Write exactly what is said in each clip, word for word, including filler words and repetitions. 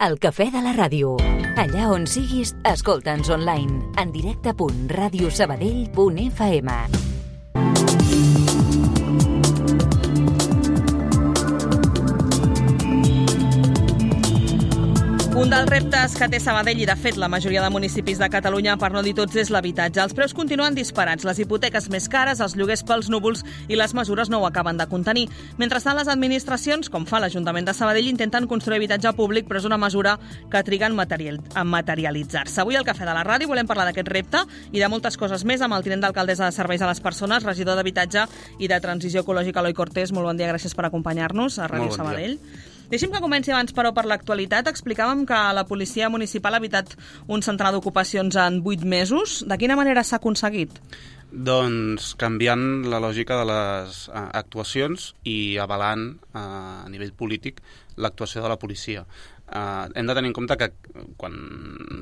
El cafè de la ràdio. Allà on siguis, escolta'ns online. En directe punt ràdio sabadell punt f m. Un dels reptes que té Sabadell i, de fet, la majoria de municipis de Catalunya, per no dir tots, és l'habitatge. Els preus continuen disparats, les hipoteques més cares, els lloguers pels núvols i les mesures no ho acaben de contenir. Mentrestant, les administracions, com fa l'Ajuntament de Sabadell, intenten construir habitatge públic, però és una mesura que triga en, material, en materialitzar-se. Avui al Cafè de la Ràdio volem parlar d'aquest repte i de moltes coses més amb el tinent d'alcaldessa de Serveis a les Persones, regidor d'Habitatge i de Transició Ecològica, Eloi Cortés. Molt bon dia, gràcies per acompanyar-nos a Ràdio bon Sabadell. Dia. Deixi'm que comenci abans, però, per l'actualitat. Explicàvem que la policia municipal ha evitat un centenar d'ocupacions en vuit mesos. De quina manera s'ha aconseguit? Doncs canviant la lògica de les uh, actuacions i avalant uh, a nivell polític l'actuació de la policia. Uh, hem de tenir en compte que quan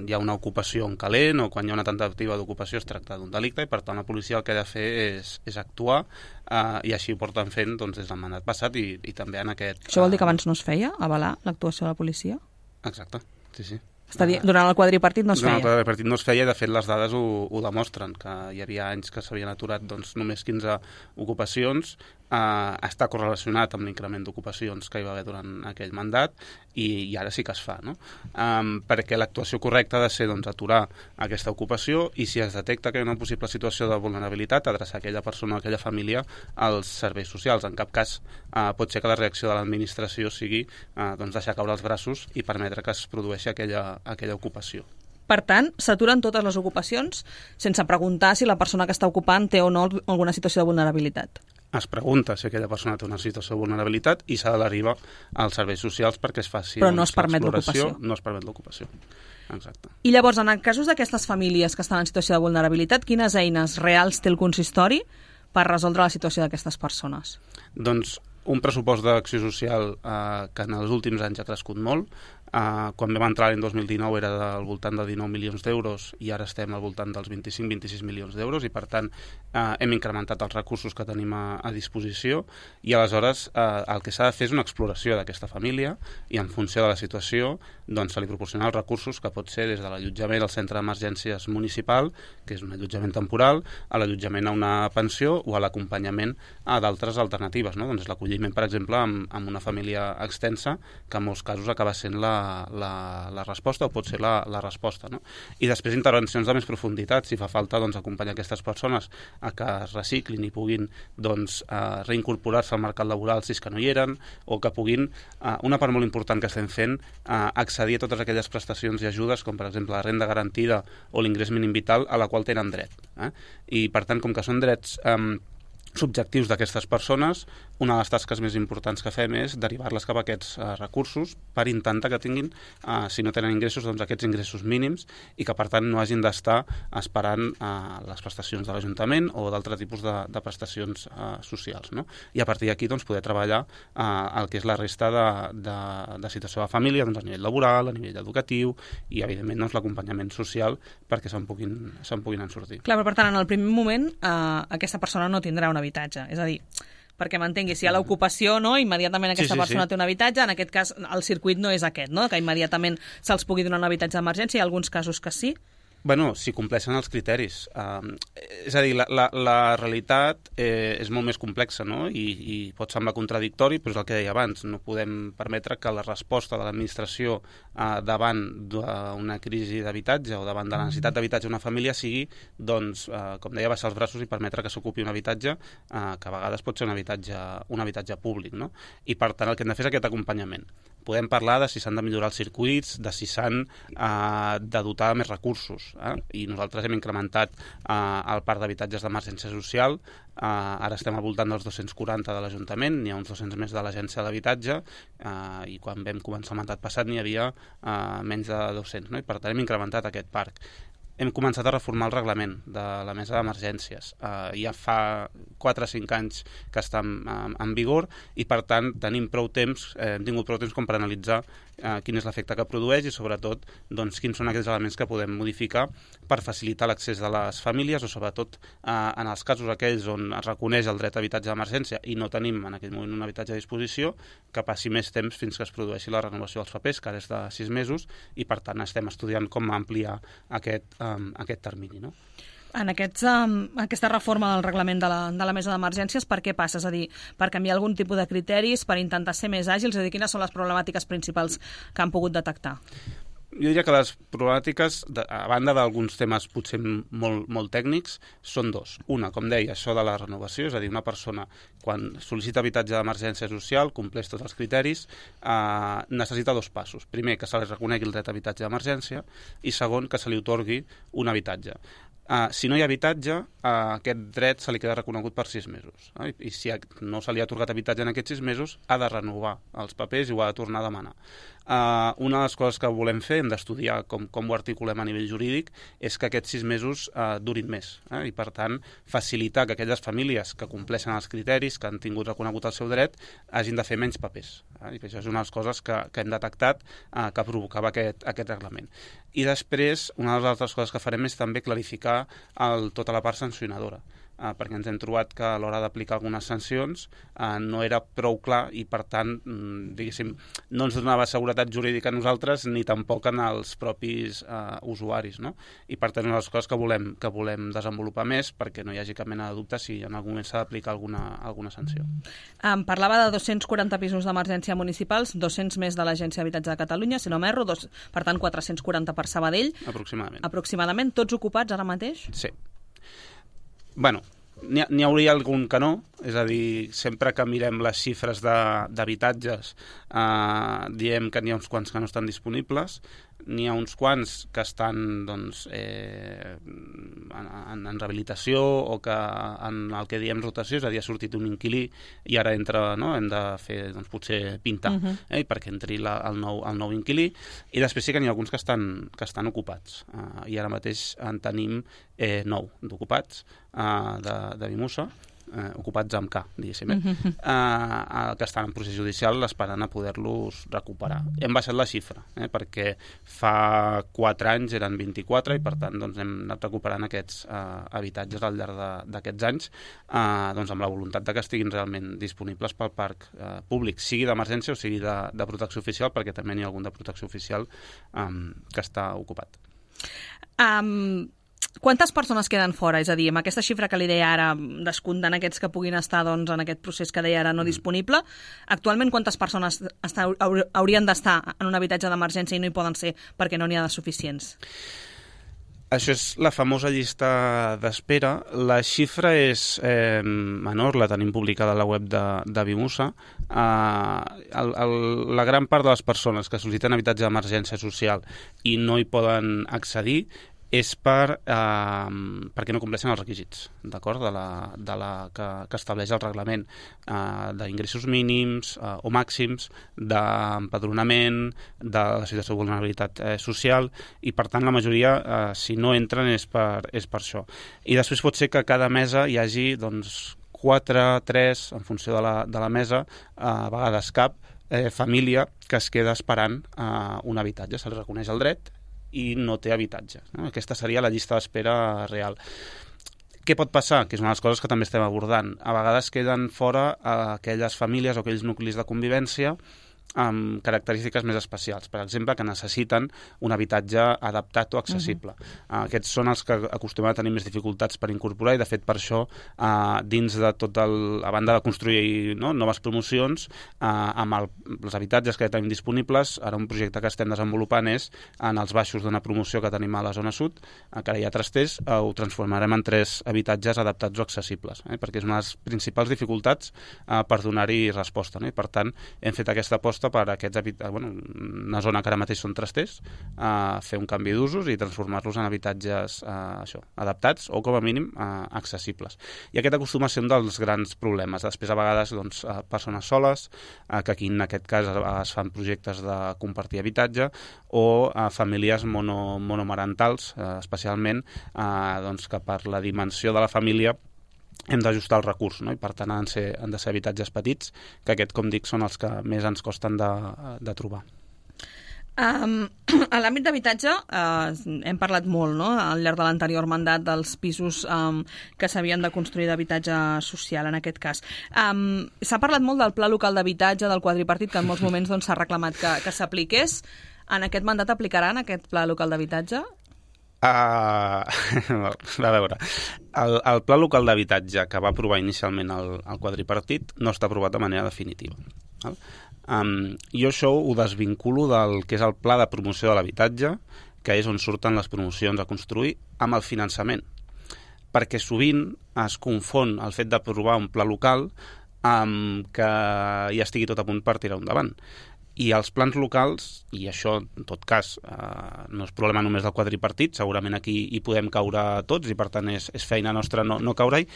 hi ha una ocupació en calent o quan hi ha una tentativa d'ocupació es tracta d'un delicte i per tant la policia el que ha de fer és, és actuar uh, i així ho porten fent doncs, des del mandat passat i, i també en aquest... Això vol dir que abans no es feia, avalar l'actuació de la policia? Exacte, sí, sí. Està dir, durant el quadripartit no es feia? Durant el quadripartit no es feia i de fet les dades ho, ho demostren, que hi havia anys que s'havien aturat doncs, només quinze ocupacions. Uh, està correlacionat amb l'increment d'ocupacions que hi va haver durant aquell mandat i, i ara sí que es fa, no? Um, perquè l'actuació correcta ha de ser doncs, aturar aquesta ocupació i si es detecta que hi ha una possible situació de vulnerabilitat, adreçar aquella persona o aquella família als serveis socials. En cap cas uh, pot ser que la reacció de l'administració sigui uh, doncs, deixar caure els braços i permetre que es produeixi aquella, aquella ocupació. Per tant, s'aturen totes les ocupacions sense preguntar si la persona que està ocupant té o no alguna situació de vulnerabilitat. Es pregunta si aquella persona té una situació de vulnerabilitat i s'ha de derivar als serveis socials perquè es faci Però no es permet l'ocupació. No es permet l'ocupació. Exacte. I llavors, en casos d'aquestes famílies que estan en situació de vulnerabilitat, quines eines reals té el consistori per resoldre la situació d'aquestes persones? Doncs un pressupost d'acció social eh, que en els últims anys ha crescut molt. Uh, quan vam entrar l'any dos mil dinou era del voltant de dinou milions d'euros i ara estem al voltant dels vint-i-cinc a vint-i-sis milions d'euros i per tant uh, hem incrementat els recursos que tenim a, a disposició i aleshores uh, el que s'ha de fer és una exploració d'aquesta família i en funció de la situació doncs se li proporcionar els recursos que pot ser des de l'allotjament al centre d'emergències municipal, que és un allotjament temporal, a l'allotjament a una pensió o a l'acompanyament a d'altres alternatives, no? Doncs l'acolliment, per exemple, amb, amb una família extensa que en molts casos acaba sent la La, la resposta o pot ser la, la resposta, no? I després intervencions de més profunditat, si fa falta doncs, acompanyar aquestes persones a que es reciclin i puguin doncs, eh, reincorporar-se al mercat laboral si és que no hi eren o que puguin, eh, una part molt important que estem fent, eh, accedir a totes aquelles prestacions i ajudes com per exemple la renda garantida o l'ingrés mínim vital a la qual tenen dret, eh? I per tant com que són drets eh, subjectius d'aquestes persones, una de les tasques més importants que fem és derivar-les cap a aquests uh, recursos per intentar que tinguin, uh, si no tenen ingressos, doncs aquests ingressos mínims i que per tant no hagin d'estar esperant uh, les prestacions de l'Ajuntament o d'altres tipus de, de prestacions uh, socials, no? I a partir d'aquí doncs, poder treballar uh, el que és la resta de, de, de situació de la família doncs, a nivell laboral, a nivell educatiu i evidentment doncs, l'acompanyament social perquè se'n puguin, se'n puguin en sortir. Clar, però per tant en el primer moment uh, aquesta persona no tindrà un habitatge, és a dir, perquè m'entengui, si hi ha l'ocupació, no, immediatament aquesta sí, sí, persona sí. té un habitatge, en aquest cas el circuit no és aquest, no? Que immediatament se'ls pugui donar un habitatge d'emergència, hi ha alguns casos que sí. Bueno, si compleixen els criteris. Uh, és a dir, la, la, la realitat eh, és molt més complexa, no? I, i pot semblar contradictori, però és el que deia abans. No podem permetre que la resposta de l'administració uh, davant d'una crisi d'habitatge o davant de la necessitat d'habitatge d'una família sigui, doncs, uh, com deia, baixar els braços i permetre que s'ocupi un habitatge uh, que a vegades pot ser un habitatge, un habitatge públic, no? I per tant el que hem de fer és aquest acompanyament. Podem parlar de si s'han de millorar els circuits, de si s'han uh, de dotar de més recursos. Eh? I nosaltres hem incrementat eh, el parc d'habitatges d'emergència social, eh, ara estem al voltant dels dos-cents quaranta de l'Ajuntament, n'hi ha uns dos-cents més de l'Agència de l'Habitatge eh, i quan vam començar el mandat passat n'hi havia eh, menys de dos-cents, no? I per tant hem incrementat aquest parc. Hem començat a reformar el reglament de la mesa d'emergències. Uh, ja fa quatre o cinc anys que està en, en vigor i, per tant, tenim prou temps, eh, hem tingut prou temps com per analitzar eh, quin és l'efecte que produeix i sobretot doncs, quins són aquells elements que podem modificar per facilitar l'accés de les famílies o sobretot eh, en els casos aquells on es reconeix el dret a habitatge d'emergència i no tenim en aquell moment un habitatge a disposició, que passi més temps fins que es produeixi la renovació dels papers, que ara és de sis mesos, i per tant estem estudiant com ampliar aquest, um, aquest termini, no? En aquests, um, aquesta reforma del reglament de la, de la mesa d'emergències, per què passa? És a dir, per canviar algun tipus de criteris, per intentar ser més àgils? És a dir, quines són les problemàtiques principals que han pogut detectar? Jo diria que les problemàtiques, a banda d'alguns temes potser molt, molt tècnics, són dos. Una, com deia, això de la renovació, és a dir, una persona quan sol·licita habitatge d'emergència social, compleix tots els criteris, eh, necessita dos passos. Primer, que se li reconegui el dret a habitatge d'emergència i segon, que se li otorgui un habitatge. Uh, si no hi ha habitatge, uh, aquest dret se li queda reconegut per sis mesos. Eh? I si no se li ha atorgat habitatge en aquests sis mesos, ha de renovar els papers i ho ha de tornar a demanar. Uh, una de les coses que volem fer, hem d'estudiar com, com ho articulem a nivell jurídic, és que aquests sis mesos uh, durin més. Eh? I, per tant, facilitar que aquelles famílies que compleixen els criteris, que han tingut reconegut el seu dret, hagin de fer menys papers. Eh? I això és una de les coses que, que hem detectat uh, que provocava aquest, aquest reglament. I després, una de les altres coses que farem és també clarificar el, tota la part sancionadora. Uh, perquè ens hem trobat que a l'hora d'aplicar algunes sancions uh, no era prou clar i, per tant, mm, diguéssim, no ens donava seguretat jurídica a nosaltres ni tampoc en els propis uh, usuaris, no? I, per tant, una de les coses que volem, que volem desenvolupar més perquè no hi hagi cap mena de dubte si en algun moment s'ha d'aplicar alguna, alguna sanció. Em parlava de dos-cents quaranta pisos d'emergència municipals, dos-cents més de l'Agència d'Habitatge de Catalunya, si no m'erro, dos, per tant, quatre-cents quaranta per Sabadell. Aproximadament. Aproximadament. Tots ocupats ara mateix? Sí. Bueno, n'hi, n'hi hauria algun que no, és a dir, sempre que mirem les xifres d'habitatges eh, diem que n'hi ha uns quants que no estan disponibles, n'hi ha uns quants que estan doncs, eh, en, en, en rehabilitació o que en el que diem rotació, és a dir, ha sortit un inquilí i ara entra, no? Hem de fer doncs, potser pintar uh -huh. eh, perquè entri la, el, nou, el nou inquilí, i després sí que n'hi ha alguns que estan, que estan ocupats eh, i ara mateix en tenim eh, nou d'ocupats eh, de, de Vimusa, eh, ocupats amb K, diguéssim, eh? uh-huh. eh, que estan en procés judicial esperant a poder-los recuperar. Hem baixat la xifra, eh, perquè fa quatre anys eren vint-i-quatre i, per tant, doncs, hem anat recuperant aquests eh, habitatges al llarg d'aquests anys eh, doncs, amb la voluntat de que estiguin realment disponibles pel parc eh, públic, sigui d'emergència o sigui de, de protecció oficial, perquè també n'hi ha algun de protecció oficial eh, que està ocupat. Um... Quantes persones queden fora? És a dir, amb aquesta xifra que li deia ara, descomptant aquests que puguin estar doncs, en aquest procés que deia ara no disponible, actualment quantes persones està, haurien d'estar en un habitatge d'emergència i no hi poden ser perquè no n'hi ha de suficients? Això és la famosa llista d'espera. La xifra és eh, menor, la tenim publicada a la web de, de Vimusa. Eh, el, el, la gran part de les persones que sol·liciten habitatge d'emergència social i no hi poden accedir és per, eh, perquè no compleixen els requisits, d'acord, de la, de la que, que estableix el reglament eh, d'ingressos mínims eh, o màxims, d'empadronament, de la situació de vulnerabilitat eh, social, i per tant la majoria, eh, si no entren, és per, és per això. I després pot ser que a cada mesa hi hagi doncs, quatre, tres, en funció de la, de la mesa, eh, a vegades cap, eh, família que es queda esperant eh, un habitatge, se li reconeix el dret i no té habitatge. No? Aquesta seria la llista d'espera real. Què pot passar? Que és una de les coses que també estem abordant. A vegades queden fora aquelles famílies o aquells nuclis de convivència amb característiques més especials, per exemple, que necessiten un habitatge adaptat o accessible. Uh-huh. Aquests són els que acostumen a tenir més dificultats per incorporar i, de fet, per això, uh, dins de tot el... a banda de construir no, noves promocions, uh, amb el, els habitatges que ja tenim disponibles, ara un projecte que estem desenvolupant és, en els baixos d'una promoció que tenim a la zona sud, uh, que ara hi ha trasters, uh, ho transformarem en tres habitatges adaptats o accessibles, eh, perquè és una de les principals dificultats uh, per donar-hi resposta. No? I, per tant, hem fet aquesta aposta per aquests habitatges, bueno, una zona que ara mateix són trasters, a fer un canvi d'usos i transformar-los en habitatges eh, això, adaptats o com a mínim eh, accessibles. I aquest acostuma a ser un dels grans problemes. Després a vegades doncs, persones soles, eh, que aquí en aquest cas es fan projectes de compartir habitatge, o eh, famílies mono, monomarentals, eh, especialment eh, doncs, que per la dimensió de la família hem d'ajustar el recurs, no? I per tant han de, ser, han de ser habitatges petits, que aquest, com dic, són els que més ens costen de, de trobar. Um, a l'àmbit d'habitatge uh, hem parlat molt, no?, al llarg de l'anterior mandat dels pisos um, que s'havien de construir d'habitatge social, en aquest cas. Um, s'ha parlat molt del pla local d'habitatge, del quadripartit, que en molts moments doncs, s'ha reclamat que, que s'apliqués. En aquest mandat aplicaran aquest pla local d'habitatge? Uh, a veure, el, el pla local d'habitatge que va aprovar inicialment el, el quadripartit no està aprovat de manera definitiva. Val? Um, jo això ho desvinculo del que és el pla de promoció de l'habitatge, que és on surten les promocions a construir, amb el finançament. Perquè sovint es confon el fet d'aprovar un pla local amb que ja estigui tot a punt per tirar endavant. I els plans locals, i això en tot cas eh, no és problema només del quadripartit, segurament aquí hi podem caure tots i per tant és, és feina nostra no, no caure-hi,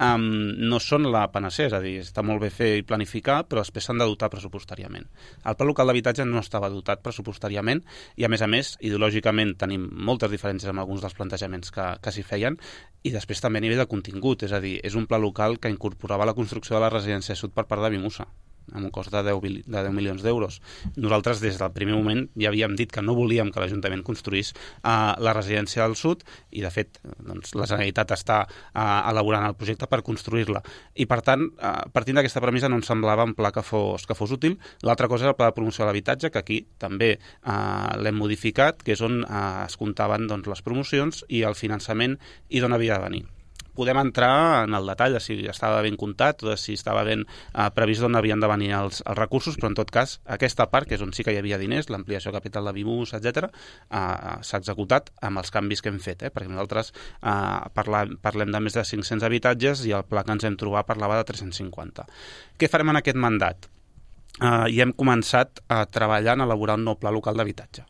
um, no són la panacea, és a dir, està molt bé fer i planificar, però després s'han de dotar pressupostàriament. El pla local d'habitatge no estava dotat pressupostàriament i a més a més, ideològicament tenim moltes diferències amb alguns dels plantejaments que, que s'hi feien i després també a nivell de contingut, és a dir, és un pla local que incorporava la construcció de la residència sud per part de Vimusa, amb un cost de deu milions d'euros. Nosaltres, des del primer moment, ja havíem dit que no volíem que l'Ajuntament construís uh, la residència del sud i, de fet, doncs, la Generalitat està uh, elaborant el projecte per construir-la. I, per tant, uh, partint d'aquesta premissa no ens semblava un pla que fos, que fos útil. L'altra cosa és el pla de promoció de l'habitatge, que aquí també uh, l'hem modificat, que és on uh, es comptaven doncs, les promocions i el finançament i d'on havia de venir. Podem entrar en el detall de si estava ben comptat o de si estava ben eh, previst d'on havien de venir els, els recursos, però en tot cas aquesta part, que és on sí que hi havia diners, l'ampliació capital de Vimus, etcètera, eh, s'ha executat amb els canvis que hem fet, eh, perquè nosaltres eh, parla, parlem de més de cinc-cents habitatges i el pla que ens hem trobat parlava de tres-cents cinquanta. Què farem en aquest mandat? Eh, I hem començat a treballar en elaborar un nou pla local d'habitatge.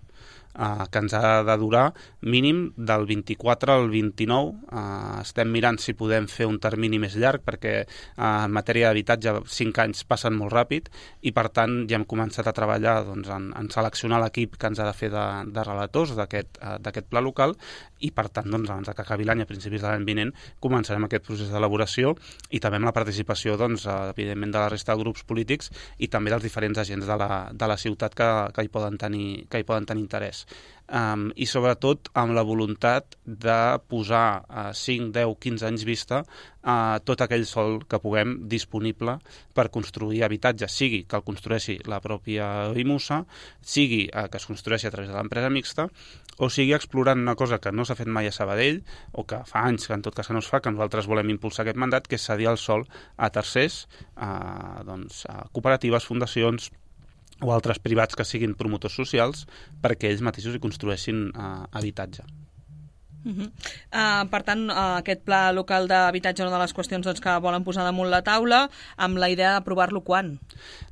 Uh, que ens ha de durar mínim del vint-i-quatre al vint-i-nou. Uh, estem mirant si podem fer un termini més llarg perquè uh, en matèria d'habitatge cinc anys passen molt ràpid i per tant ja hem començat a treballar doncs, en, en seleccionar l'equip que ens ha de fer de, de relators d'aquest uh, d'aquest pla local i per tant doncs, abans que acabi l'any, a principis de l'any vinent, començarem aquest procés d'elaboració i també amb la participació doncs, evidentment de la resta de grups polítics i també dels diferents agents de la, de la ciutat que, que, hi poden tenir, que hi poden tenir interès. Um, i sobretot amb la voluntat de posar a uh, cinc, deu, quinze anys vista uh, tot aquell sòl que puguem disponible per construir habitatge, sigui que el construeixi la pròpia Vimusa, sigui uh, que es construeixi a través de l'empresa mixta, o sigui explorant una cosa que no s'ha fet mai a Sabadell, o que fa anys que en tot cas que no es fa, que nosaltres volem impulsar aquest mandat, que és cedir el sòl a tercers, uh, doncs, a cooperatives, fundacions, o altres privats que siguin promotors socials perquè ells mateixos hi construeixin uh, habitatge. Uh -huh. uh, per tant, uh, aquest pla local d'habitatge és una de les qüestions doncs, que volen posar damunt la taula amb la idea d'aprovar-lo quan?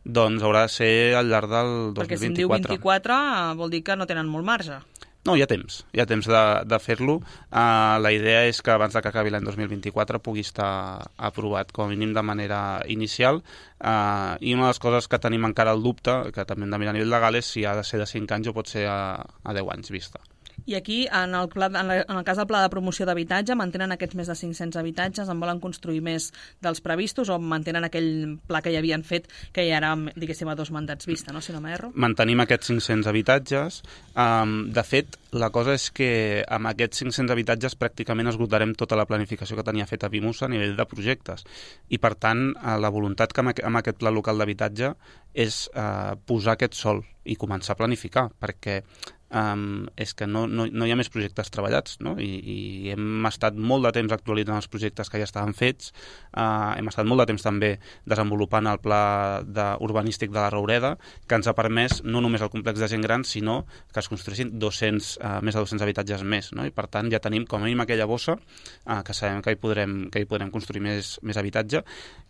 Doncs haurà de ser al llarg del dos mil vint-i-quatre. Perquè si en diu vint-i-quatre uh, vol dir que no tenen molt marge. No, hi ha temps, hi ha temps de, de fer-lo. Uh, la idea és que abans de que acabi l'any dos mil vint-i-quatre pugui estar aprovat com a mínim de manera inicial uh, i una de les coses que tenim encara el dubte, que també hem de mirar a nivell legal, és si ha de ser de cinc anys o pot ser a, a deu anys vista. I aquí, en el, pla, en, la, en el cas del pla de promoció d'habitatge, mantenen aquests més de cinc-cents habitatges, en volen construir més dels previstos o mantenen aquell pla que ja havien fet, que ja era, diguéssim, a dos mandats vista, no? Si no m'erro? Mantenim aquests cinc-cents habitatges. Um, de fet, la cosa és que amb aquests cinc-cents habitatges pràcticament esgotarem tota la planificació que tenia feta Vimusa a nivell de projectes. I, per tant, la voluntat que amb aquest pla local d'habitatge és uh, posar aquest sòl i començar a planificar, perquè Um, és que no, no, no hi ha més projectes treballats, no? I, i hem estat molt de temps actualitzant els projectes que ja estaven fets, uh, hem estat molt de temps també desenvolupant el pla de, urbanístic de la Roureda, que ens ha permès no només el complex de gent gran, sinó que es construïssin dos-cents, uh, més de dos-cents habitatges més, no? I per tant ja tenim com a mínim aquella bossa uh, que sabem que hi podrem, que hi podrem construir més, més habitatge.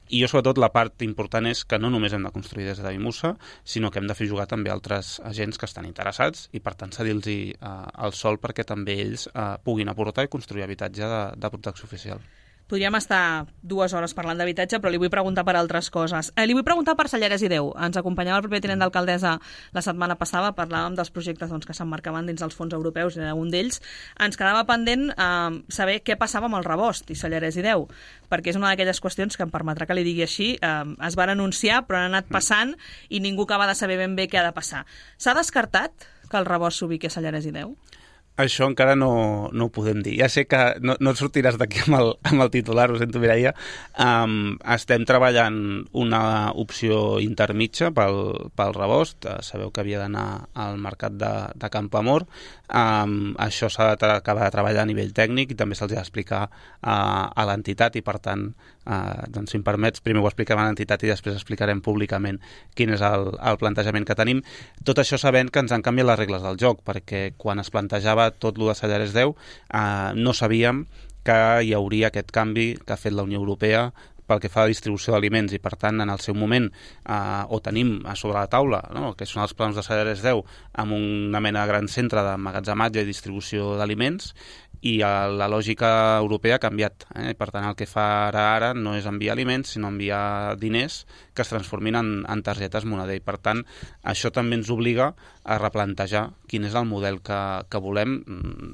I jo, sobretot, la part important és que no només hem de construir des de Vimusa, sinó que hem de fer jugar també altres agents que estan interessats i, per tant, cedir-los uh, el sòl perquè també ells uh, puguin aportar i construir habitatge de, de protecció oficial. Podríem estar dues hores parlant d'habitatge, però li vull preguntar per altres coses. Eh, li vull preguntar per Salleres i Déu. Ens acompanyava el proper tinent d'alcaldessa la setmana passada, parlàvem dels projectes doncs, que s'emmarcaven dins els fons europeus, era un d'ells. Ens quedava pendent eh, saber què passava amb el Rebost i Salleres i Déu, perquè és una d'aquelles qüestions que em permetrà que li digui així. Eh, es van anunciar, però han anat passant i ningú acaba de saber ben bé què ha de passar. S'ha descartat que el Rebost s'ubiqui a Salleres i Déu? Això encara no, no ho podem dir. Ja sé que no, no et sortiràs d'aquí amb, el, amb el titular, ho sento, Mireia. Um, estem treballant una opció intermitja pel, pel Rebost. Uh, sabeu que havia d'anar al mercat de, de Campoamor. Um, això s'ha d'acabar de treballar a nivell tècnic i també se'ls ha d'explicar uh, a l'entitat i, per tant, uh, doncs, si em permets, primer ho expliquem a l'entitat i després explicarem públicament quin és el, el plantejament que tenim. Tot això sabent que ens han canviat les regles del joc, perquè quan es plantejava tot el de Salleres Déu, eh, no sabíem que hi hauria aquest canvi que ha fet la Unió Europea pel que fa a la distribució d'aliments i, per tant, en el seu moment eh, ho tenim a sobre la taula, no? Que són els plans de Salleres Déu amb una mena de gran centre d'emmagatzematge i distribució d'aliments, i la lògica europea ha canviat. Eh? Per tant, el que fa ara ara no és enviar aliments, sinó enviar diners que es transformin en, en targetes moneder. I, per tant, això també ens obliga a replantejar quin és el model que, que volem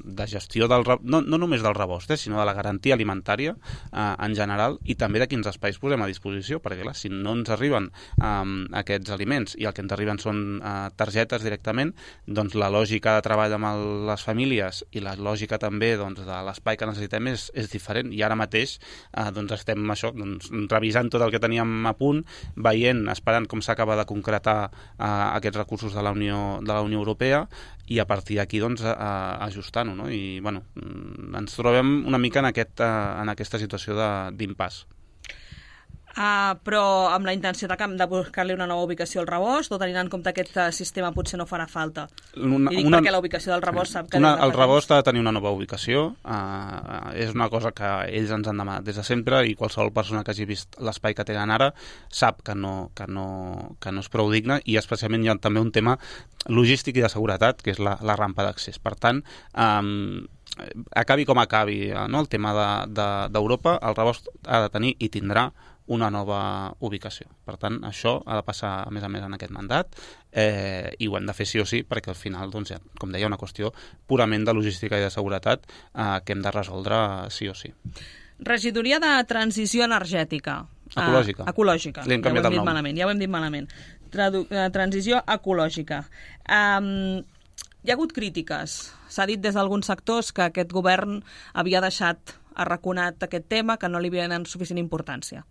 de gestió, del, no, no només del Rebost, eh, sinó de la garantia alimentària eh, en general, i també de quins espais posem a disposició, perquè clar, si no ens arriben eh, aquests aliments i el que ens arriben són eh, targetes directament, doncs la lògica de treball amb el, les famílies i la lògica també doncs, de l'espai que necessitem és, és diferent, i ara mateix eh, doncs estem això, doncs, revisant tot el que teníem a punt, veient, esperant com s'acaba de concretar eh, aquests recursos de la Unió, de la Unió Europea, i a partir d'aquí doncs, eh, ajustant-ho, no? I bueno, ens trobem una mica en, aquest, eh, en aquesta situació d'impàs. Uh, però amb la intenció de, de buscar-li una nova ubicació al Rebost, o tenint en compte que aquest sistema potser no farà falta? Una, I dic una, perquè la ubicació del Rebost sap que... Una, el Rebost ha de tenir una nova ubicació, uh, és una cosa que ells ens han demanat des de sempre, i qualsevol persona que hagi vist l'espai que tenen ara sap que no, que no, que no és prou digne, i especialment hi ha també un tema logístic i de seguretat, que és la, la rampa d'accés. Per tant, um, acabi com acabi, no? El tema d'Europa, de, de, el Rebost ha de tenir i tindrà una nova ubicació. Per tant, això ha de passar, a més a més, en aquest mandat, eh, i ho hem de fer sí o sí, perquè al final, doncs, ja, com deia, una qüestió purament de logística i de seguretat eh, que hem de resoldre sí o sí. Regidoria de Transició Energètica. Ecològica. Ah, ecològica. Li hem canviat ja ho hem el nom. Malament, ja ho hem dit malament. Tradu transició ecològica. Um, hi ha hagut crítiques. S'ha dit des d'alguns sectors que aquest govern havia deixat arraconat aquest tema, que no li havia donat suficient importància.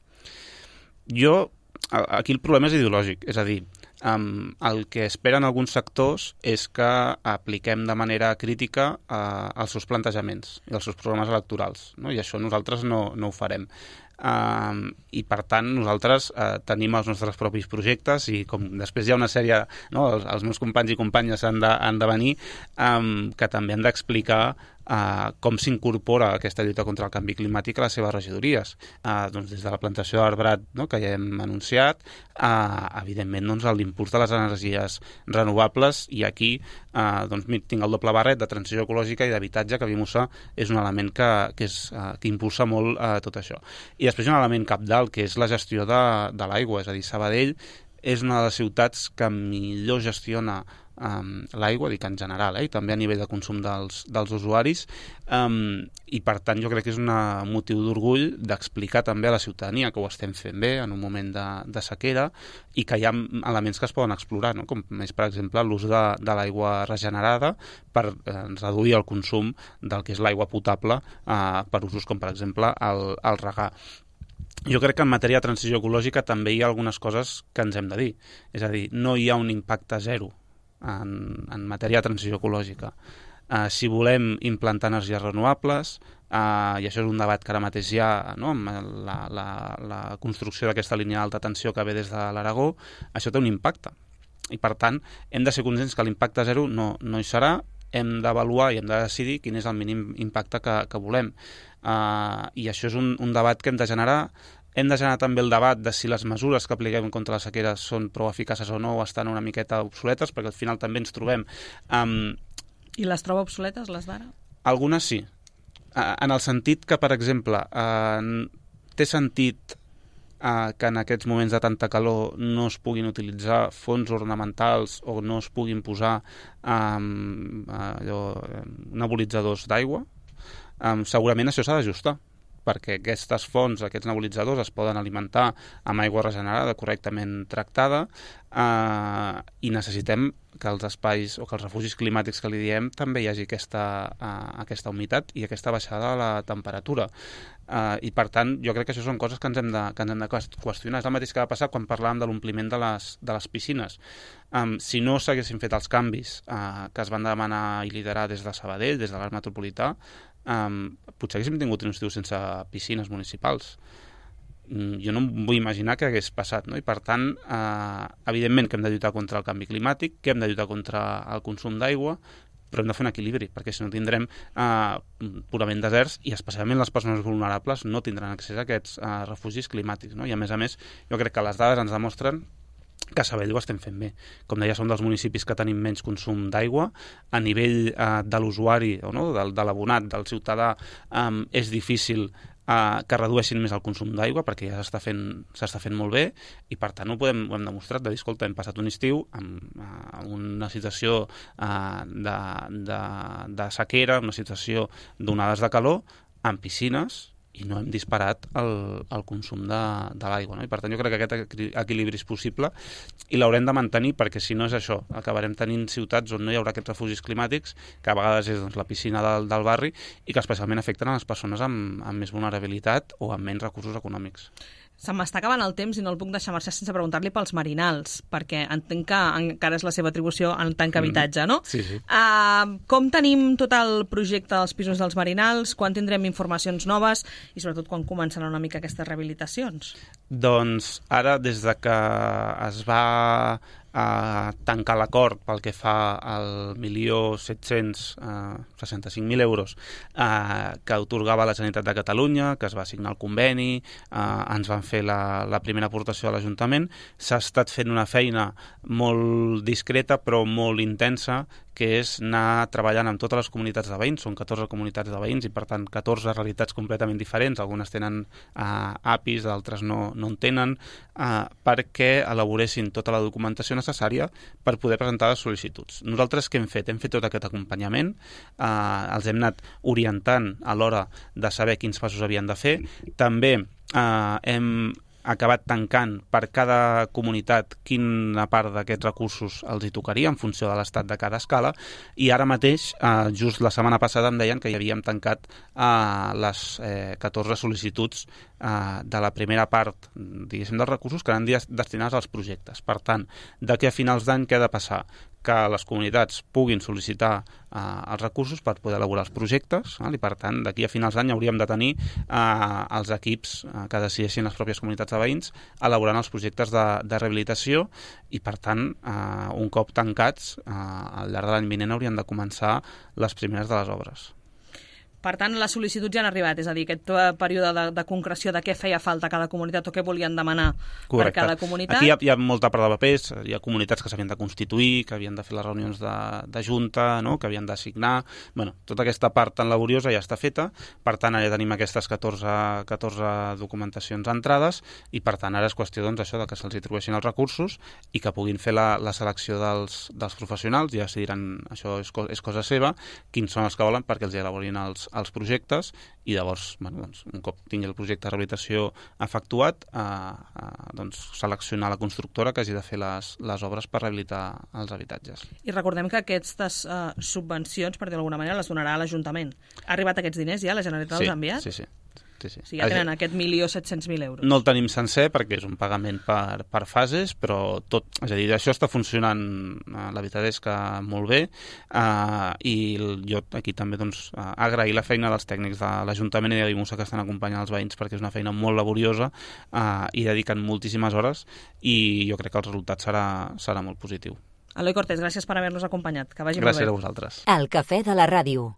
Jo, aquí el problema és ideològic, és a dir, um, el que esperen alguns sectors és que apliquem de manera crítica uh, els seus plantejaments i els seus programes electorals, no? I això nosaltres no, no ho farem. Uh, i per tant nosaltres uh, tenim els nostres propis projectes, i com després hi ha una sèrie, no, els, els meus companys i companyes han de, han de venir, um, que també han d'explicar uh, com s'incorpora aquesta lluita contra el canvi climàtic a les seves regidories, uh, doncs des de la plantació d'arbrat, no, que ja hem anunciat, uh, evidentment doncs, l'impuls de les energies renovables, i aquí uh, doncs, tinc el doble barret de transició ecològica i d'habitatge, que Vimusa és un element que, que, és, uh, que impulsa molt uh, tot això. I després un element cabdal, que és la gestió de, de l'aigua, és a dir, Sabadell és una de les ciutats que millor gestiona um, l'aigua, dic en general, eh, i també a nivell de consum dels, dels usuaris, um, i per tant jo crec que és un motiu d'orgull d'explicar també a la ciutadania que ho estem fent bé en un moment de, de sequera, i que hi ha elements que es poden explorar, no? Com és, per exemple, l'ús de, de l'aigua regenerada per eh, reduir el consum del que és l'aigua potable eh, per usos com, per exemple, el, el regar. Jo crec que en matèria de transició ecològica també hi ha algunes coses que ens hem de dir. És a dir, no hi ha un impacte zero en, en matèria de transició ecològica. Uh, si volem implantar energies renovables, uh, i això és un debat que ara mateix hi ha, no, amb la, la, la construcció d'aquesta línia d'alta tensió que ve des de l'Aragó, això té un impacte. I per tant, hem de ser conscients que l'impacte zero no, no hi serà, hem d'avaluar i hem de decidir quin és el mínim impacte que, que volem. Uh, I això és un, un debat que hem de generar. Hem de generar també el debat de si les mesures que apliquem contra la sequera són prou eficaces o no, o estan una miqueta obsoletes, perquè al final també ens trobem... Um, I les troba obsoletes, les d'ara? Algunes sí. en el sentit que, per exemple, eh, té sentit eh, que en aquests moments de tanta calor no es puguin utilitzar fons ornamentals o no es puguin posar eh, allò, nebulitzadors d'aigua. Eh, segurament això s'ha d'ajustar, perquè aquestes fonts, aquests nebulitzadors es poden alimentar amb aigua regenerada, correctament tractada, eh, i necessitem que els espais o que els refugis climàtics que li diem també hi hagi aquesta, eh, aquesta humitat i aquesta baixada de la temperatura. Eh, I, per tant, jo crec que això són coses que ens hem de, que ens hem de qüestionar. És el mateix que va passar quan parlàvem de l'ompliment de les, de les piscines. Um, si no s'haguessin fet els canvis eh, que es van demanar i liderar des de Sabadell, des de l'Arc Metropolità, Um, potser haguéssim tingut un estiu sense piscines municipals. Mm, jo no em vull imaginar què hagués passat, no? I per tant, eh, evidentment que hem de lluitar contra el canvi climàtic, que hem de lluitar contra el consum d'aigua, però hem de fer un equilibri, perquè si no tindrem eh, purament deserts, i especialment les persones vulnerables no tindran accés a aquests eh, refugis climàtics, no? I a més a més, jo crec que les dades ens demostren que a Sabadell ho estem fent bé. Com deia, som dels municipis que tenim menys consum d'aigua. A nivell eh, de l'usuari, o no, de, de l'abonat, del ciutadà, eh, és difícil eh, que redueixin més el consum d'aigua, perquè ja s'està fent, s'està fent molt bé, i per tant ho, podem, ho hem demostrat, de dir, escolta, hem passat un estiu amb eh, una situació eh, de, de, de sequera, una situació d'onades de calor, amb piscines, i no hem disparat el, el consum de, de l'aigua, no? I per tant jo crec que aquest equilibri és possible i l'haurem de mantenir, perquè si no és això, acabarem tenint ciutats on no hi haurà aquests refugis climàtics, que a vegades és doncs, la piscina del, del barri, i que especialment afecten a les persones amb, amb més vulnerabilitat o amb menys recursos econòmics. Se m'està acabant el temps i no el puc deixar marxar sense preguntar-li pels marinals, perquè entenc que encara és la seva atribució en tant que habitatge, no? Sí, sí. Uh, com tenim tot el projecte dels pisos dels marinals? Quan tindrem informacions noves? I sobretot quan començaran una mica aquestes rehabilitacions? Doncs ara, des de que es va a tancar l'acord pel que fa al milió set-cents seixanta-cinc mil euros eh, que atorgava la Generalitat de Catalunya, que es va signar el conveni, eh, ens van fer la, la primera aportació a l'Ajuntament. S'ha estat fent una feina molt discreta però molt intensa, que és anar treballant amb totes les comunitats de veïns. Són catorze comunitats de veïns i, per tant, catorze realitats completament diferents. Algunes tenen eh, A P Is, d'altres no, no en tenen, eh, perquè elaboressin tota la documentació necessària per poder presentar les sol·licituds. Nosaltres què hem fet? Hem fet tot aquest acompanyament, eh, els hem anat orientant a l'hora de saber quins passos havien de fer. També eh, hem acabat tancant per cada comunitat quina part d'aquests recursos els hi tocaria en funció de l'estat de cada escala, i ara mateix, eh, just la setmana passada em deien que hi havíem tancat eh, les eh, catorze sol·licituds eh, de la primera part, diguéssim, dels recursos que eren destinats als projectes. Per tant, d'aquí a finals d'any què ha de passar? Que les comunitats puguin sol·licitar eh, els recursos per poder elaborar els projectes, eh? I per tant, d'aquí a finals d'any hauríem de tenir eh, els equips eh, que decideixin les pròpies comunitats de veïns elaborant els projectes de, de rehabilitació, i per tant, eh, un cop tancats, eh, al llarg de l'any vinent haurien de començar les primeres de les obres. Per tant, les sol·licituds ja han arribat, és a dir, aquest període de, de concreció de què feia falta a cada comunitat o què volien demanar. Correcte. Per cada comunitat. Aquí hi ha, hi ha molta part de papers, hi ha comunitats que s'havien de constituir, que havien de fer les reunions de, de junta, no? Que havien de signar. Bueno, tota aquesta part tan laboriosa ja està feta, per tant, ara ja tenim aquestes catorze, catorze documentacions entrades, i per tant, ara és qüestió doncs, això de que se'ls atribueixin els recursos i que puguin fer la, la selecció dels, dels professionals, ja s'hi diran, això és, és cosa seva, quins són els que volen perquè els elaborin els als projectes, i llavors, bueno, doncs, un cop tingui el projecte de rehabilitació efectuat, eh, eh, doncs, seleccionar la constructora que hagi de fer les, les obres per rehabilitar els habitatges. I recordem que aquestes eh, subvencions, per dir d'alguna manera, les donarà l'Ajuntament. Ha arribat aquests diners ja? La Generalitat sí, els ha enviat? Sí, sí. Sí, sí. O sigui, ja tenen aquest milió set-cents mil euros. No el tenim sencer perquè és un pagament per, per fases, però tot, és a dir, això està funcionant, la veritat és que molt bé, eh, i jo aquí també doncs, agrair la feina dels tècnics de l'Ajuntament i de Vimusa que estan acompanyant els veïns, perquè és una feina molt laboriosa eh, i dediquen moltíssimes hores, i jo crec que el resultat serà, serà molt positiu. Eloi Cortés, gràcies per haver-nos acompanyat. Que vagi gràcies molt bé. A vosaltres. El Cafè de la Ràdio.